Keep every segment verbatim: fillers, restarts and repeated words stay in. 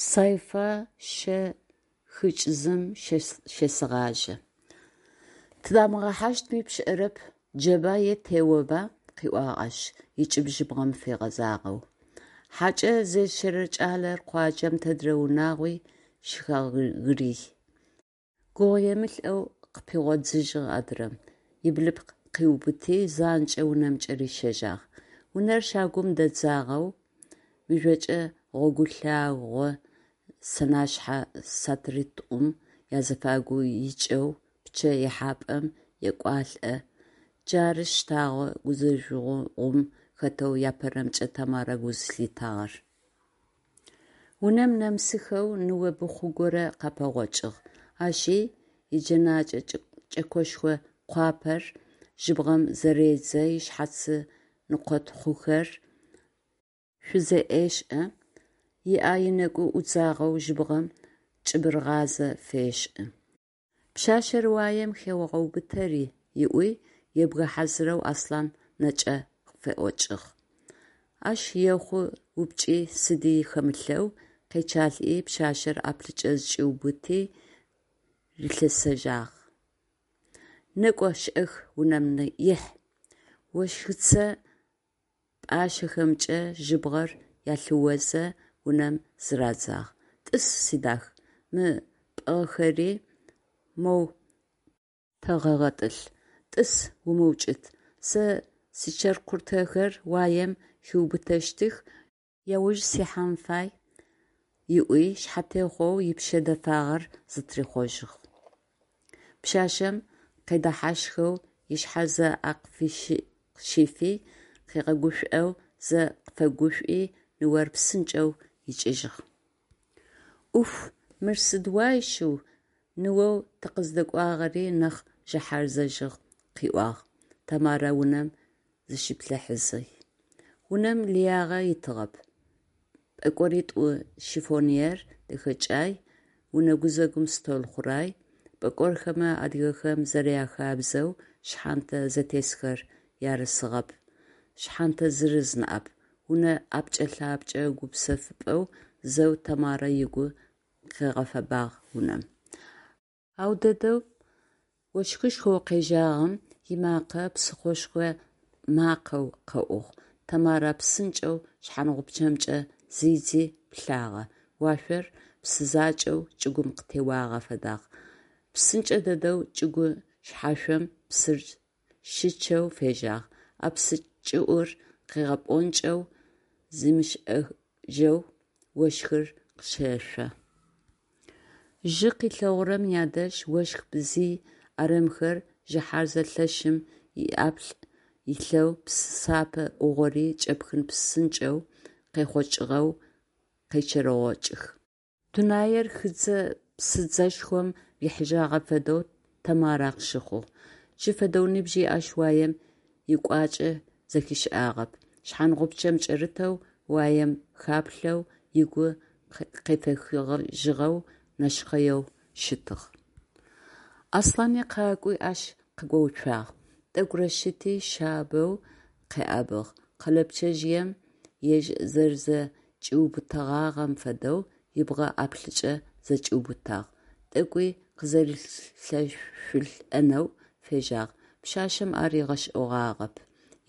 Сайфа щэ хыкӏзым щесэгъажьэ. Тыдамыгъэхьащтми пшӏэрэп, джэба е теоба, – къыӏуагъ ащ, ыкӏыб жьыбгъэм фэгъэзагъэу. Хьакӏэ зещэрэ кӏалэр къуаджэм тэдрэ унагъуи щыхэгырый. Гугъуемылӏэу къыпигъодзыжьыгъ адрэм, ыблыпкъ къыубыти, занкӏэу унэмкӏэ рищэжьагъ. Унэр щагум дэдзагъэу, мыжъокӏэ гъогулъагъо сэнэшъхьэ сатыритӏум язэфагу икӏэу пчъэ ихьапӏэм екӏуалӏэ, джары щтэгъэ гузэжъогъум хэтэу апэрэмкӏэ Тэмарэ гу зылъитагъэр. Унэм нэмысыхэу ныо быхъу горэ къапэгъокӏыгъ. Ащи иджэнакӏэ кӏэкошхо къуапэр жьыбгъэм зэредзэ, ышъхьацы ныкъотхъухэр шӏузеӏешӏэ, ыӏэ ынэкӏу ӏудзагъэу жьыбгъэм кӏыбырыгъазэ фешӏы. «Пшъашъэр уаем хеогъэубытэри», – ыӏуи, ебгэ хьазырэу Аслъан нэкӏэ феӏокӏыгъ. Ащ ехъу упчӏи сыди хэмылъэу, къечъалӏи, пшъашъэр ӏаплӏыкӏэ зыкӏиубыти, рилъэсэжьагъ: «Некӏо шӏэх, унэм ихь!» Ощхыцэ пӏашъэхэмкӏэ жьыбгъэр ялъыозэ, унэм зырадзагъ. «Тӏыс, сидах, мы пӏыгъхэри моу тэгъэгъэтӏылъ, тӏыс, умыукӏыт, сэ сичыркъуртэхэр уаем хиубытэщтых, яуж сихьан фай», – ыӏуи, шъхьатехъоу ыпшъэ дэфагъэр зытрихъожьыгъ. Пшъашъэм къедэхьащхэу ышъхьэ зэ ӏэ къыфыщифи, къыгъэгушӏоу зэ къыфэгушӏуи, ныор псынкӏэу икӏыжьыгъ. Ӏуф, мыр сыд уай шъыу, ныоу тыкъыздэкӏуагъэри нахь жьыхьарзэжьыгъ, – къыӏуагъ Тэмарэ унэм зыщиплъыхьэзэ. Унэм лыягъэ итыгъэп: пӏэкӏоритӏу, шифоньер дэхэкӏай, унэ гузэгум стол хъурай. Пӏэкӏорхэмэ, адыгэхэм зэряхабзэу, шъхьантэ зэтесхэр ярысыгъэп, шъхьэнтэ зырыз ныӏэп. Унэ ӏэпкӏэ-лъапкӏэ гупсэфыпӏэу зэу Тэмарэ ыгу къыгъэфэбагъ унэм. Ау дэдэм ощхышхоу къежьагъэм имакъэ псыхъошхо макъэу къэӏугъ. Тэмарэ псынкӏэу шъхьангъупчъэмкӏэ зидзи плъагъэ: уашъор псы закӏэу чӏыгум къытеуагъэ фэдагъ. Псынкӏэ дэдэу чӏыгу шъхьашъом псыр щычъэу фежьагъ, а псы кӏыӏур къыгъэпӏонкӏэу, зимышӏэжьэу ощхыр къыщешъо. Жьы къилъэгъурэм ядэжь ощх бзый ӏэрамхэр жьыхьарзэ лъэшым ыӏаплӏ илъэу псы сапэ ӏугъори кӏэпхын псынкӏэу къехъокӏыгъэу къечэрэгъокӏых. Дунаир хыдзэ-псыдзэшхом рихьыжьагъэ фэдэу Тэмарэ къыщыхъугъ. Джы фэдэу нибжьи ащ уаем икӏуачӏэ зэхишӏагъэп. Шъхьангъупчъэм кӏэрытэу уаем хаплъэу, ыгу къефэхыжьыгъэу, нэшхъэеу щытыгъ. Аслъани къакӏуи ащ къыгоуцуагъ, тӏэкӏурэ щыти, шъабэу къеӏэбыгъ, къэлэпчъэжъыем ежь зэрэзэкӏиубытэгъагъэм фэдэу ыбгъэ ӏаплӏыкӏэ зэкӏиубытагъ, тӏэкӏуи къызэрилъэшъулӏэнэу фежьагъ. Пшъашъэм ар ыгъэшӏэгъуагъэп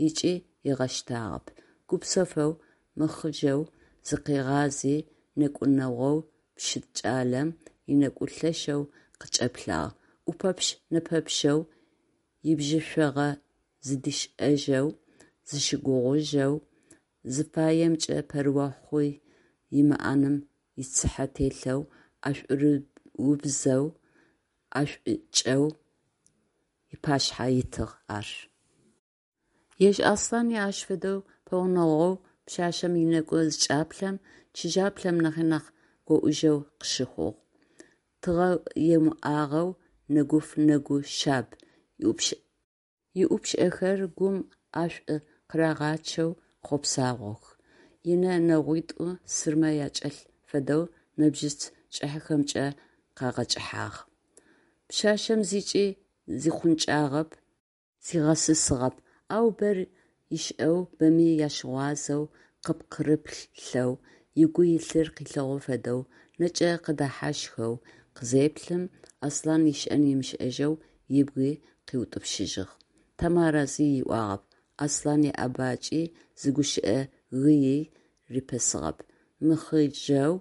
ыкӏи ыгъэщтагъэп. Гупсэфэу, мыхъыжъэу зыкъигъази нэкӏу нэгъоу щыт кӏалэм ынэгу лъэшэу къыкӏэплъагъ, ӏупэпщ-нэпэпщэу, ибжьышъуагъэ зыдишӏэжьэу, зыщыгугъыжьэу, зыфаемкӏэ пэрыохъу имыӏэным ицыхьэ телъэу, ӏэшӏуубзэу, ӏэшӏукӏэу ыпашъхьэ итыгъ ар. Ежь Аслъани ащ фэдэу пэгъунэгъоу пшъашъэм ынэгу зыкӏаплъэм, чыжьаплъэм нахьи нахь гоӏужьэу къыщыхъугъ. Тыгъэ емыӏагъэу нэгуф нэгу шъаб, ыӏупшӏэхэр гум ӏашӏу къырагъачъэу хъопсагъох, ынэ нэгъуитӏу сырмэ акӏэлъ фэдэу нэбжьыц кӏыхьэхэмкӏэ къэгъэкӏыхьагъ. Пшъашъэм зыкӏи зихъункӏагъэп, зигъэсысыгъэп, ау бэр ышӏэу, бэми ащыгъуазэу къыпкъырыплъэу, Ыгу илъыр къилъэгъу фэдэу нэкӏэ къыдэхьащхэу къызеплъым, Аслъан ышӏэн ымышӏэжьэу ыбги къыутӏупщыжьыгъ. Тэмарэ зи ыӏуагъэп, Аслъан иӏэбакӏи зы гущыӏэ гыий рипэсыгъэп, мыхъыжьэу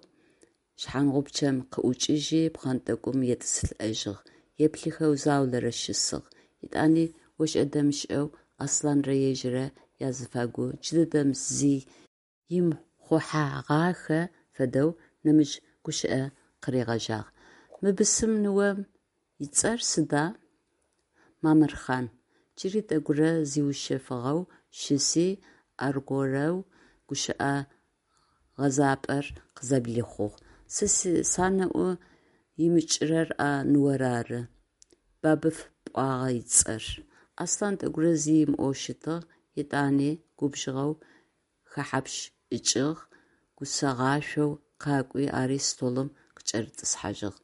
шъхьангъупчъэм къыӏукӏыжьи, пхъэнтӏэкӏум етӏысылӏэжьыгъ, еплъыхэу заулэрэ щысыгъ, етӏани ошӏэ-дэмышӏэу Аслъанрэ ежьыррэ азыфагу джыдэдэм зи имыхъухьэгъахэ фэдэу нэмыкӏ гущыӏэ къыригъэжьагъ: «Мы бысым ныом ыцӏэр сыда?» «Мамырхъан», – джыри тӏэкӏурэ зиушъэфыгъэу щыси, аргорэу гущыӏэ гъэзапӏэр къызэблихъугъ: «Сэ санэӏу имыкӏырэр а ныор ары, Бабыф пӏуагъа ыцӏэр?» Аслъан тӏэкӏурэ зи ымыӏоу щытыгъ, етӏани губжыгъэу хэхьапщыкӏыгъ, гусэгъашӏоу къакӏуи ари столым къыкӏэрытӏысхьажьыгъ: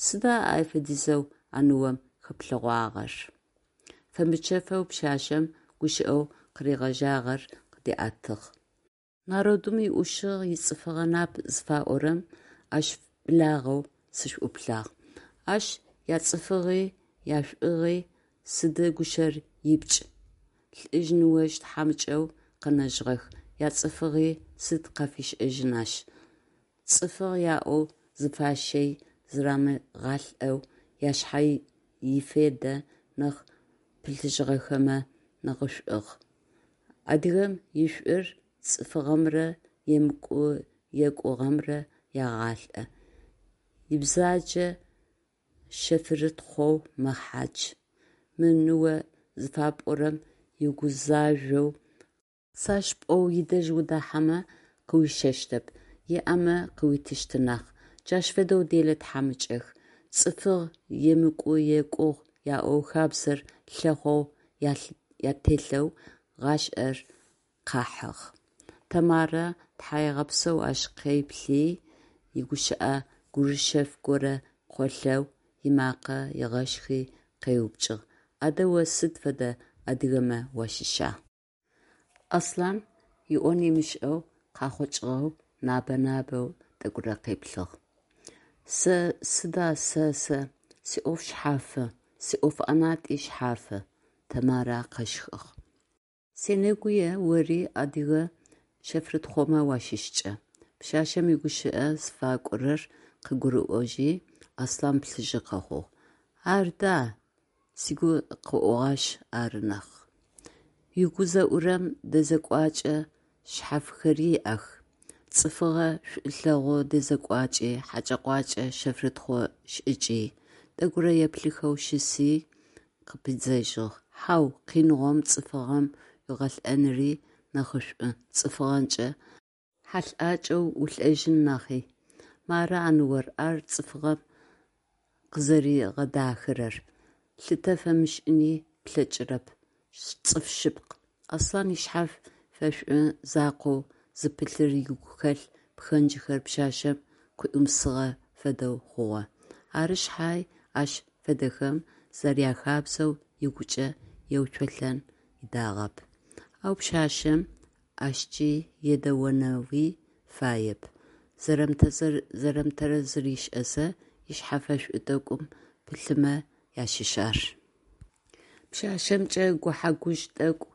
«Сыда ай фэдизэу а ныом хэплъэгъуагъэр?» Фэмычэфэу пшъашъэм гущыӏэу къыригъэжьагъэр къыдиӏэтыгъ: «Народым иӏушыгъ ицӏыфыгъэ нап зыфаӏорэм ащ благъэу сышӏуплъагъ. Ащ яцӏыфыгъи, яшӏугъи сыды гущэр ипкӏ, лӏыжъ-ныожъ тхьамыкӏэу къэнэжьыгъэх, яцӏыфыгъи сыд къафишӏэжьын ащ. Цӏыфыгъ яӏэу зыфащэй зырамыгъалӏэу яшъхьэ ифедэ нахь пылъыжьыгъэхэмэ нахьышӏугъ. Адыгэм ишӏур цӏыфыгъэмрэ емыкӏу-екӏугъэмрэ егъалӏэ, ибзаджэ шъэфрытхъоу мэхьадж. Мы ныо зыфапӏорэм угузажъоу къысащ пӏоу ыдэжь удахьэмэ къыуищэщтэп, иӏэмэ къыуитыщт нахь. Джащ фэдэу делэ тхьамыкӏэх. Цӏыфыгъ, емыкӏу-екӏугъ яӏэу хабзэр лъэхъоу ателъэу гъашӏэр къахьыгъ», Тэмарэ тхьаегъэпсэу ащ къеплъи, игущыӏэ гурышэ горэ къолъэу ымакъэ ыгъэшхи, къеупчӏыгъ: «Адэ о сыд фэдэ адыгэмэ уащыща?» Аслъан ыӏон ымышӏэу, къахэкӏыгъэу набэ-набэу тӏэкӏурэ къеплъыгъ. «Сэ сыда сэ, сэ сиӏоф шъхьафы, сиӏоф ӏэнатӏи шъхьафы», Тэмарэ къэщхыгъ. «Сенэгуе ори адыгэ шъэфрытхъомэ уащыщкӏэ?» Пшъашъэм игущыӏэ зыфакӏорэр къыгурыӏожьи, Аслъан плъыжьы къэхъугъ: «Ар да, сигу къыӏогъашъ ары нахь». Ыгу зэӏурэм дэзекӏуакӏэ шъхьафхэри иӏэх: цӏыфыгъэ шӏулъэгъу дэзекӏуакӏи, хьэкӏэ-къуакӏэ шъэфрытхъо шӏыкӏи. Тӏэкӏурэ еплъыхэу щыси, къыпидзэжьыгъ: «Хьау, къиныгъом, цӏыфыгъэм уигъэлӏэныри нахьышӏу цӏыфыгъэнчъэ хьалӏакӏэу улӏэжьын нахьи. Мары а ныор, ар цӏыфыгъэм къызэригъэдахэрэр, лъытэ фэмышӏыни плъэкӏырэп, цӏыф шъыпкъ». Аслъан ышъхьэ фэшӏу закъоу зыпылъыр игухэлъ пхэнджхэр пшъашъэм къыӏуимысыгъэ фэдэу хъугъэ. Ары шъхьай, ащ фэдэхэм зэряхабзэу, ыгукӏэ еуцолӏэн ыдагъэп. Ау пшъашъэм ащкӏи едэонэуи фаеп, зэрэмытэрэзыр ышӏэзэ, ышъхьэ фэшӏу тӏэкӏум пылъымэ ащыщ ар. Пшъашъэмкӏэ гухьэ-гужъ тӏэкӏу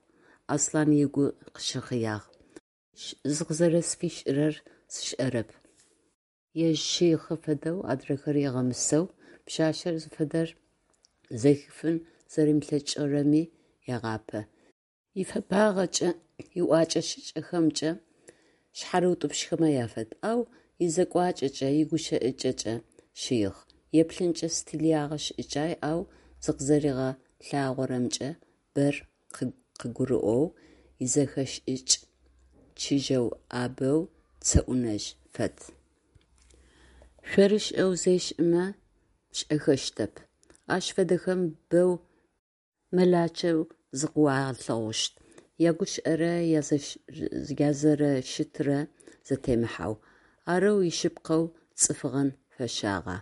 Аслъан ыгу къыщыхъыягъ. Зыкъызэрэсфишӏырэр сшӏэрэп. Ежь шыихъы фэдэу адрэхэр ыгъэмысэу, пшъашъэр зыфэдэр зэхифын зэримылъэкӏырэми егъапэ. Ифэпагъэкӏэ, иӏокӏэ-шӏыкӏэхэмкӏэ шъхьарыутӏупщхэмэ афэд, ау изекӏуакӏэкӏэ, игущыӏакӏэкӏэ шыихъ. Еплъынкӏэ стилягъэ шӏыкӏай, ау зыкъызэригъэлъагъорэмкӏэ бэр къыгурыӏоу, изэхэшӏыкӏ чыжьэу ӏабэу цэӏунэжъ фэд. Шъорышӏэу зешӏымэ пшӏэхэщтэп. Ащ фэдэхэм боу мэлакӏэу зыкъыуалъэгъущт, ягущыӏэрэ язэрэщытрэ зэтемыхьэу. Арэу ишъыпкъэу цӏыфыгъэм фэщагъа?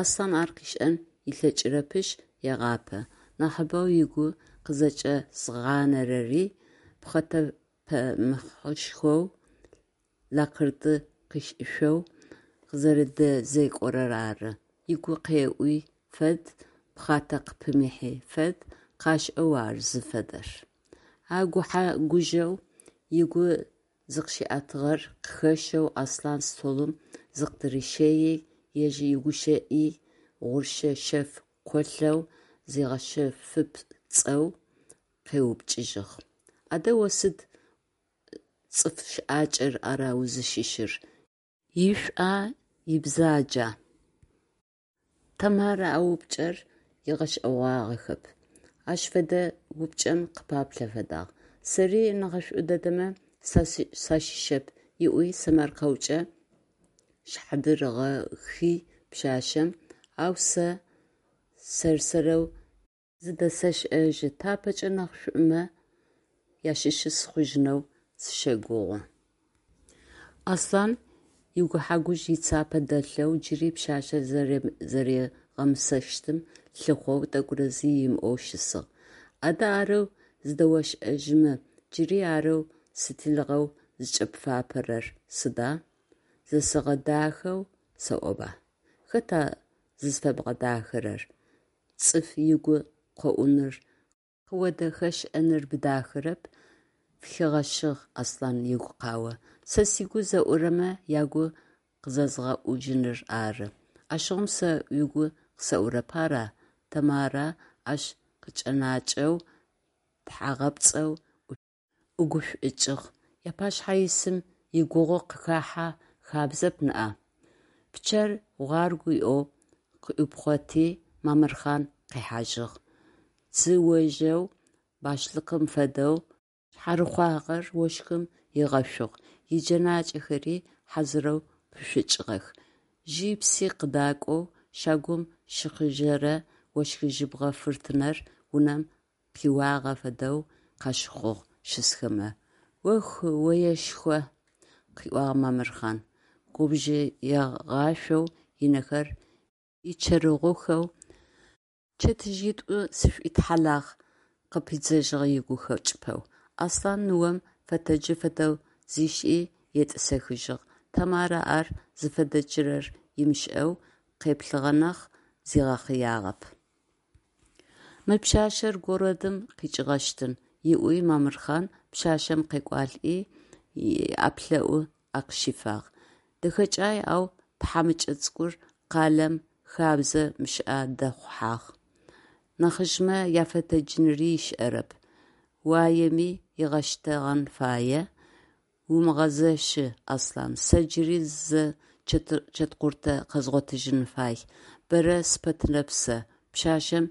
Аслъан ар къышӏэн ылъэкӏырэпышъ егъапэ. Нахьыбэу ыгу къызэкӏэзгъанэрэри пхъэтэпэмыхьышхоу лакырды къышӏышъоу къызэрэдэзекӏорэр ары. Ыгу къеӏуи фэд, пхъатэ къыпымыхьи фэд, къашӏэу ар зыфэдэр. А гухьэ-гужъэу ыгу зыкъыщиӏэтыгъэр къыхэщэу Аслъан столым зыкъыдырищайи, ежь игущыӏи гъуршэ шъэф къолъэу, зигъэшъэфыпцӏэу къеупчӏыжьыгъ: «Адэ о сыд цӏыф щыӏакӏэр ара узыщыщыр, ишӏуа, ибзаджа?» Тэмарэ а упчӏэр ыгъэшӏэгъуагъэхэп, ащ фэдэ упчӏэм къыпаплъэ фэдагъ. «Сэри нахьышӏу дэдэмэ сащыщэп», – ыӏуи сэмэркъэукӏэ шъхьадыригъэхи пшъашъэм, «ау сэ сэр-сэрэу зыдэсэшӏэжьы, тапэкӏэ нахьышӏумэ ащыщы сыхъужьынэу сыщэгугъы». Аслъан игухьэ-гужъ ицапэ дэлъэу, джыри пшъашъэр зэригъэмысэщтым лъыхъоу тӏэкӏурэ зи ымыӏоу щысыгъ. «Адэ арэу зыдэошӏэжьымэ, джыри арэу стилыгъэу зыкӏэпфапэрэр сыда?» «Зэсэгъэдахэу сэӏоба». «Хэта зызфэбгъэдахэрэр, цӏыф ыгу къоӏуныр, къыодэхэшӏэныр бдахэрэп», – фыхигъэщыгъ Аслъан игукъао. «Сэ сыгу зэӏурэмэ ягу къызэзгъэӏужьыныр ары». «Ащыгъум сэ угу къысэӏурэп ара?» Тэмарэ ащ къыкӏэнакӏэу, тхьагъэпцӏэу ӏугушӏукӏыгъ: «Уапашъхьэ исым игугъу къыхахьэ хабзэп ныӏа?» Пчъэр гъуаргу ыӏоу къыӏуипхъоти, Мамырхъан къихьажьыгъ. Дзыожъэу башлыкъым фэдэу шъхьарыхъуагъэр ощхым ыгъэшъугъ, иджэнакӏэхэри хьазырэу пышъукӏыгъэх. Жьи пси къыдакӏоу щагум щыхъыжьэрэ ощх-жьыбгъэ фыртынэр унэм къиуагъэ фэдэу къащыхъугъ щысхэмэ. «Ох, оешхо, – къыӏуагъ Мамырхъан, губж егъашъоу ынэхэр ичэрэгъухэу, – чэтыжъитӏу сышӏуитхьалагъ, – къыпидзэжьыгъ ыгу хэкӏыпэу. Аслъан ныом фэтэджы фэдэу зишӏи, етӏысэхыжьыгъ. Тэмарэ ар зыфэтэджырэр ымышӏэу къеплъыгъэ нахь, зигъэхъыягъэп. «Мы пшъашъэр городым къикӏыгъэщтын», – ыӏуи Мамырхъан пшъашъэм къекӏуалӏи, ыӏэплъэӏу ӏэ къыщифагъ. Дэхэкӏай, ау тхьамыкӏэ цӏыкӏур къалэм хабзэ мышӏэ дэхъухьагъ. Нахьыжъмэ яфэтэджыныри ышӏэрэп. Уаеми игъэщтэгъэн фае. Умыгъэзэщы, Аслъан, сэ джыри зы чэткъуртэ къэзгъотыжьын фай, бэрэ сыпэтынэп сэ, – пшъашъэм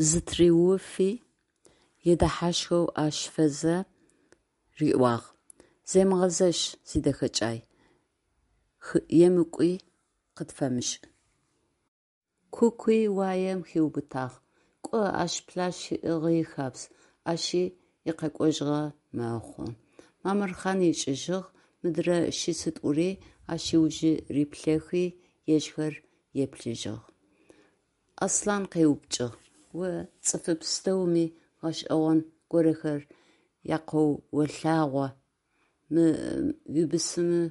зытыриуфи, едэхьащхэу ӏэ щифэзэ риӏуагъ: «Земыгъэзэщ, сидэхэкӏай, емыкӏуи къытфэмышӏ». Кукуи уаем хиубытагъ. Кӏо, ащ плащ ыӏыгъи хабз, ащи икъэкӏожьыгъо мэхъу. Мамырхъан икӏыжьыгъ, мыдрэ щыситӏури ащ ыужы риплъэхи, ежьхэр еплъыжьыгъ. Аслъан къеупчӏыгъ: «О цӏыф пстэуми гъэшӏэгъон горэхэр якъэолъагъо, мы уибысымы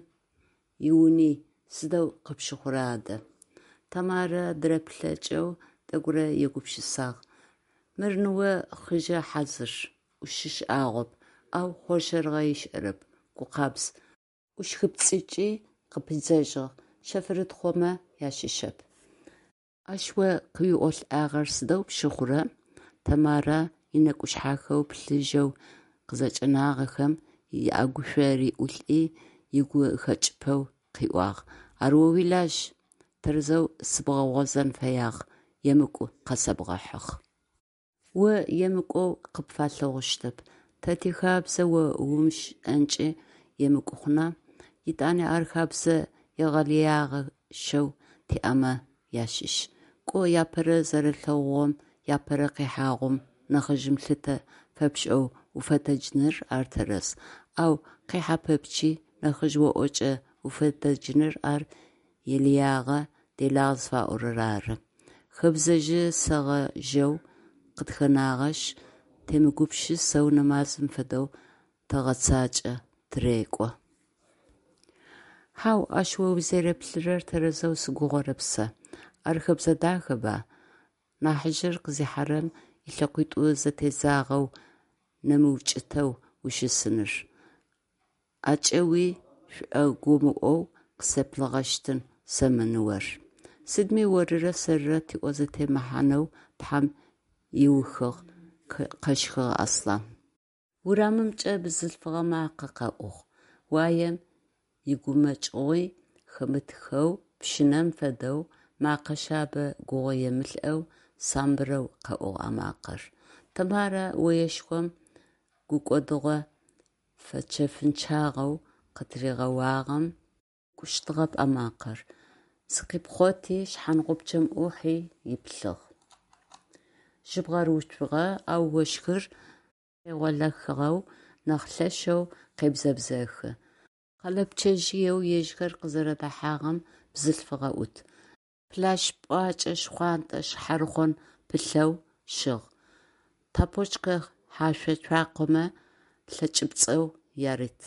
иуни сыдэу къыпщыхъура адэ?» Тэмарэ дыреплъэкӏэу тӏэкӏурэ егупшысагъ: «Мыр ныо хъыжъэ хьазыр, ӏушы шӏагъоп, ау хъоршэрыгъэ ышӏэрэп, гукъабз», – ӏущхыпцӏыкӏи, къыпидзэжьыгъ: «Шъэфрытхъомэ ащыщэп». «Ащ о къыуиӏолӏагъэр сыдэу пщыхъура?» Тэмарэ ынэкӏушъхьэхэу плъыжьэу къызэкӏэнагъэхэм ыӏэгушъо риӏулӏи, ыгу хэкӏыпэу къыӏуагъ: «Ар о уилажь, тэрэзэу сыбгъэгъозэн фэягъ, емыкӏу къэсэбгъэхьыгъ». О емыкӏоу къыпфалъэгъущтэп. Тэ тихабзэ о умышӏэнкӏи емыкӏу хъуна? Етӏани ар хэбзэ егъэлыягъэщэу тиӏэмэ ащыщ. Кӏо, апэрэ зэрэлъэгъугъом, апэрэ къихьагъум нахьыжъым лъытэ фэпшӏэу уфэтэджыныр ар тэрэз, ау къихьэ пэпчъи нахьыжъ оӏокӏэ уфэтэджыныр ар елыягъэ, делагъ зыфаӏорэр ары. Хэбзэжъы-сэгъэжъэу къытхэнагъэшъ, темыгупшысэу нэмазым фэдэу тэгъэцакӏэ, тырэкӏо. Хьау, ащ о узэреплъырэр тэрэзэу сыгугъэрэп сэ. Ар хэбзэ дахэба? Нахьыжъыр къызихьэрэм ылъэкъуитӏу зэтедзагъэу нэмыукӏытэу ущысыныр. ӀэкӀэуи шӀогумыӀоу къысэплъыгъэщтын сэ мы ныор. Сыдми орырэ сэрырэ тиӀо зэтемыхьанэу Тхьэм ыухыгъ, къэщхыгъ Аслъан. Урамымкӏэ бзылъфыгъэ макъэ къэӏугъ. Уаем игумэкӏыгъуи хэмытхэу, пщынэм фэдэу, мэкъэ шъабэ гугъуемылӏэу, самбырэу къэӏугъ а макъэр. Тэмарэ оешхом гукӏодыгъо фэчэфынчъагъэу къытыригъэуагъэм екӏущтыгъэп а макъэр. Зыкъипхъоти, шъхьангъупчъэм ӏухьи иплъыгъ. Жьыбгъэр уцугъэ, ау ощхыр къегъолъэхыгъэу нахь лъэшэу къебзэбзэхы. Къэлэпчъэжъыеу ежьхэр къызэрэдэхьагъэм бзылъфыгъэ ӏут. Плащ пӏуакӏэ шхъуантӏэ шъхьарыхъон пылъэу щыгъ, тапочкэ хьашъо цуакъэмэ лъэкӏыпцӏэу ярыт.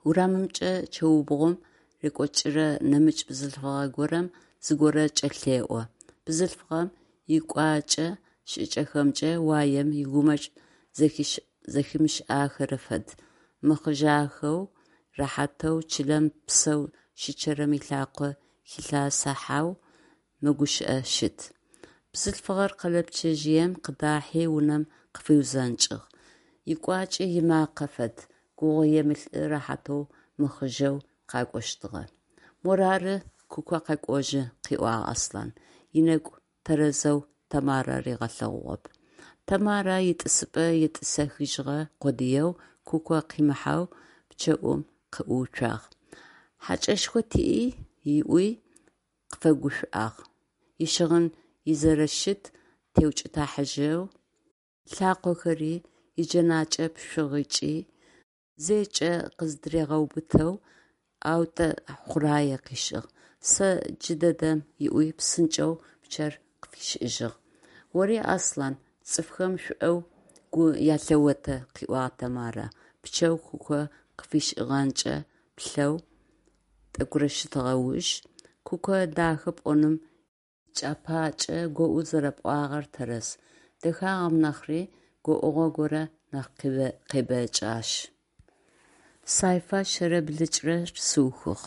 Урамымкӏэ чэубгъум рекӏокӏырэ нэмыкӏ бзылъфыгъэ горэм зыгорэ кӏэлъеӏо. Бзылъфыгъэм икӏуакӏэ-шӏыкӏэхэмкӏэ уаем игумэкӏ зэхимышӏахэрэ фэд, мыхъыжъахэу, рэхьатэу, чылэм псэу щычъэрэм ылъакъо хилъэсыхьэу мэгущыӏэ щыт. Бзылъфыгъэр къэлэпчъэжъыем къыдахьи унэм къыфиузэнкӏыгъ. Икӏуакӏи имакъэ фэд, гугъуемылӏы рэхьатэу мыхъыжъэу къакӏощтыгъэ. Морары, Куко къэкӏожьы, – къыӏуагъ Аслъан, ынэкӏу тэрэзэу Тэмарэ ригъэлъэгъугъэп. Тэмарэ итӏысыпӏэ етӏысэхыжьыгъэ къодыеу, Куко къимыхьэу пчъэӏум къыӏууцуагъ. ХьакӀэшхо тиӀ ыӏуи къыфэгушӀуагъ, ищыгъын изэрэщыт теукӀытыхьажьэу ылъакъохэри, иджэнакӀэ пшъугъэкӀи зэкӀэ къыздыригъэубытэу ӀэутӀэ хъурае къышӀыгъ, сэ джыдэдэм ыӀуи псынкӀэу пчъэр къыфишӀыжьыгъ. Ори, Аслъан, цӀыфхэм шӀоу гу ялъэотэ, – къыӏуагъ Тэмарэ, пчъэу Куко къыфишӀыгъэмкӀэ плъэу тӀэкӀурэ зыщытыгъэ уж. Куко дахэ пӀоным ичӀыпӀэкӀэ гоӀу зэрэпӀуагъэр тэрэз, дэхагъэм нахьри гоӀугъэ горэ нахь къебэкӀы ащ. Сайфа шъэрэ блыкӏрэр сыухыгъ.